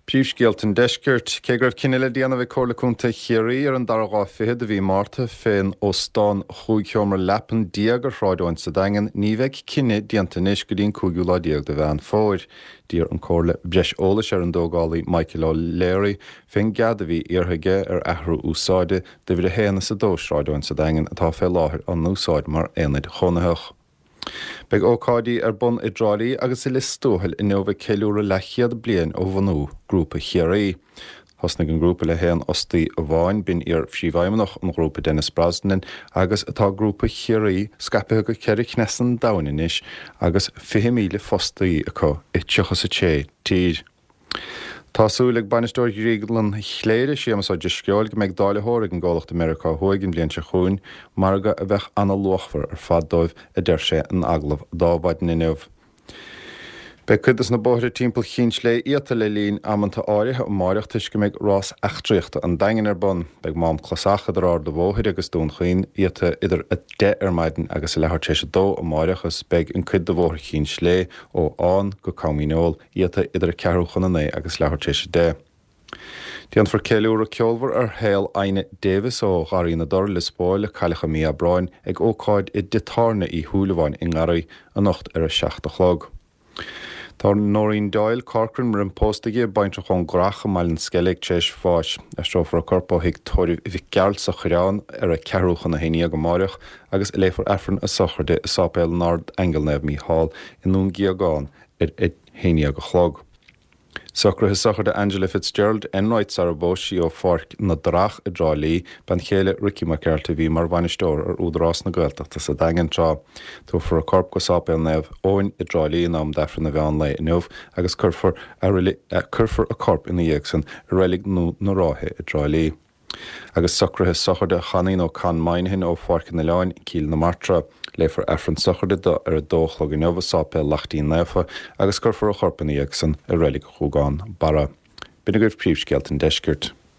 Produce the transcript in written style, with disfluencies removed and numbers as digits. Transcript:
Príomhscéalta an Deiscirt. Cé go raibh cinneadh le déanamh ag Comhairle Contae Chiarraí ar an dara lá fichead de mhí Márta fén óstán chúig sheomra leapan déag ar Shráid Eoin sa Daingean, ní bheidh cinneadh déanta anois go dtí an cúigiú lá déag de Mheán Fómhair. D'iarr an Comhairle breis eolais ar an dtógálaí Michael O'Leary fén gcead a bhí iarrtha aige ar athrú úsáide d'uimhir a haon is a dó Sráid Eoin sa Daingean atá fé láthair á n-úsáid mar aonaid chónaitheach. Beidh ócáidí ar bun i dTrá Lí agus i Lios Tuathail inniu ag ceiliúradh leathchéad bliain ó bhunú Grúpa Chiarraí. Thosnaigh an grúpa le haon fhostaí amháin, b'in iar-phríomhfheidhmeannach an ghrúpa Denis Brosnan, agus tá Grúpa Chiarraí scaipthe go ceithre cneas an domhain anois agus 20,000 fostaí acu i 36 tír. Tá súil ag bainisteoir Dhrioglann Chléire, Séamus Ó Drisceoil, go mbeidh dáilitheoir ag an gcomhlacht i Meiriceá Thuaidh an bhliain seo chugainn, margadh a bheadh ana-luachmhar ar fad dóibh, a deir sé in agallamh d'Adhmhaidin inniu. Beidh cuid de na bóithre timpeall Chinn tSlé iata le linn amanta áirithe amáireach toisc go mbeidh Rás Eachtraíochta an Daingin ar bun. Beidh Mám Clasach idir Ard a' Bhóthair agus Dún Chaoin iata idir 10 ar maidin agus a leathuair tar éis a dó amáireach agus beidh an cuid de Bhóthar Chinn tSlé ó Fhán go Com Dhíneol iata idir ceathrú chun a naoi agus leathuair tar éis a 10. Déanfar ceiliúradh ceolmhar ar shaol Adhna Davis ó Gharraí na dTor, Lios Póil, a cailleadh i mí Aibreáin, ag ócáid i dTigh Tábhairne Uí Shúilleabháin i nGarraí anocht ar a 7 a chlog. Tá Noreen Doyle Corcoran, roimh pósta di, baintreach ón gCurrach i mBaile an Sceilg, tar éis bháis. Aistreofar a corp ó Thigh Tórraimh Mhic Gearailt sa Choireán ar a ceathrú chun a haon dhéag amáireach agus léifear Aifreann a sochraide i Sáipéal an Ard-Aingeal Naomh Mícheál i nDún Gíogáin ar a haon dhéag a chlog. Socruithe sochraide Angela Fitzgerald Enright sara bpós sí ó Pháirc na dTrach i dTrá Lí, bean chéile Ricky Mac Gearailt a bhí mar bhainisteoir ar Údarás na Gaeltachta sa Daingean tráth. Tabharfar a corp go Sáipéal Naomh Eoin i dTrá Lí in am d'Aifreann an mheán lae inniu agus cuirfear a cuirfear a corp ina dhiaidh san i Reilig Nua na Ráithe i dTrá Lí. Agus socruithe sochraide Chainín ó Con Moynihan ó Pháirc an Oileáin, Cill na Martra. Léifear Aifreann sochraide do ar a dó a chlog inniu i Sáipéal Laichtín Naofa agus cuirfear a chorp ina dhiaidh san i Reilig Ghúgán Barra. B'in agaibh príomhscéalta an deiscirt.